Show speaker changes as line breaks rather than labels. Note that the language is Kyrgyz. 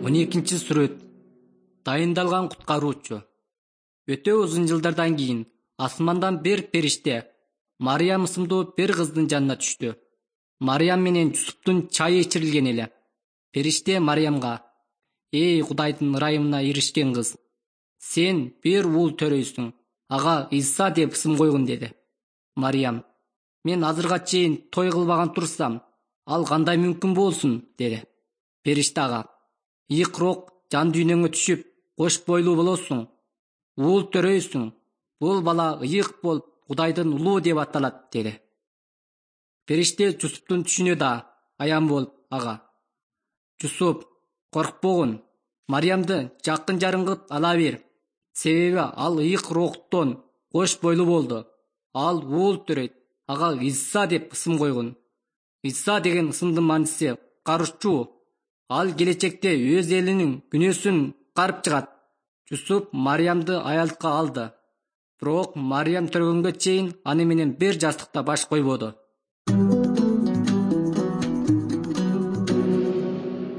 12-сүрөт. Дайындалган куткаруучу. Өтө узун жылдардан кийин асмандан бир периште Мариям ысымдуу бир кыздын жанына түштү. Мариям менен Жусуптун чайы ичирилген эле. Периште Мариямга: "Эй Кудайдын ырайымына иришкен кыз, сен бир уул төрөйсүң, ага Иса деп ысым койгун" деди. Мариям: "Мен азырга чейин той кылбаган турсам, ал кандай мүмкүн болсун?" деди. Периште ага: "Ыйык рок жан дүйнөңө түшүп, кош бойлуу болосуң, уул төрөйсүң. Бул бала ыйык болуп, Кудайдын улуу деп аталат" деди. Периште Жусуптун түшүнө да аян болуп ага: "Жусуп, коркпогун, Мариямды жакын жарым кылып ала бер. Себеби ал ыйык роктон кош бойлуу болду. Ал уул төрөйт, ага Иса деп ысым койгун. Иса деген ысымдын мааниси куткаруучу. Ал келечекте өз элинин күнөөсүн карып чыгат." Жусуп Мариямды аялдыкка алды. Бирок Мариям төргөнгө чейин аны менен бир жастыкта баш койбоду.